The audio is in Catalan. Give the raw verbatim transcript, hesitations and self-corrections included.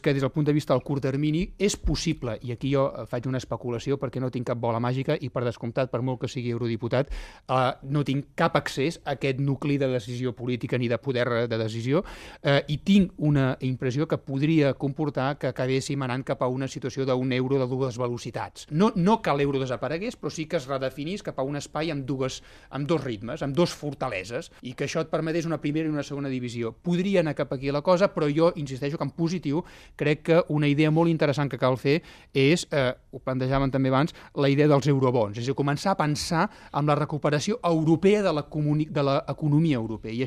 que des del punt de vista del curt termini és possible, i aquí jo faig una especulació perquè no tinc cap bola màgica i per descomptat, per molt que sigui eurodiputat, eh, no tinc cap accés a aquest nucli de decisió política ni de poder de decisió, eh, i tinc una impressió que podria comportar que acabéssim anant cap a una situació d'un euro de dues velocitats. No, no que l'euro desaparegués, però sí que es redefinís cap a un espai amb, dues, amb dos ritmes, amb dos fortaleses, i que això et permetés una primera i una segona divisió. Podria anar cap aquí la cosa, però jo insisteixo que en positiu crec que una idea molt interessant que cal fer és, eh, ho plantejaven també abans, la idea dels eurobons, és a dir, començar a pensar en la recuperació europea de l'economia europea. I això